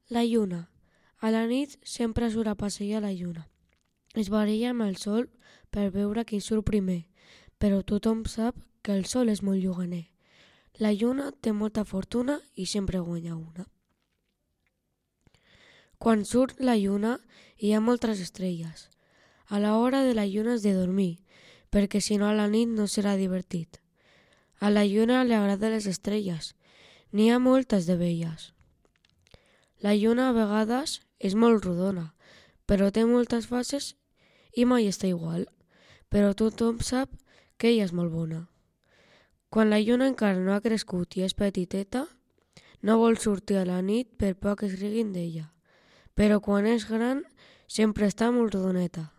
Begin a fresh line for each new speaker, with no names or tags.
La lluna. A la nit sempre surt a passejar la lluna. Es baralla amb el sol per veure qui surt primer, però tothom sap que el sol és molt lluganer. La lluna té molta fortuna i sempre guanya una. Quan surt la lluna hi ha moltes estrelles. A l'hora de la lluna has de dormir, perquè si no a la nit no serà divertit. A la lluna li agraden les estrelles. N'hi ha moltes de belles. La lluna a vegades és molt rodona, però té moltes fases i mai està igual. Però tothom sap que ella és molt bona. Quan la lluna encara no ha crescut i és petiteta, no vol sortir a la nit per por que es riguin d'ella. Però quan és gran sempre està molt rodoneta.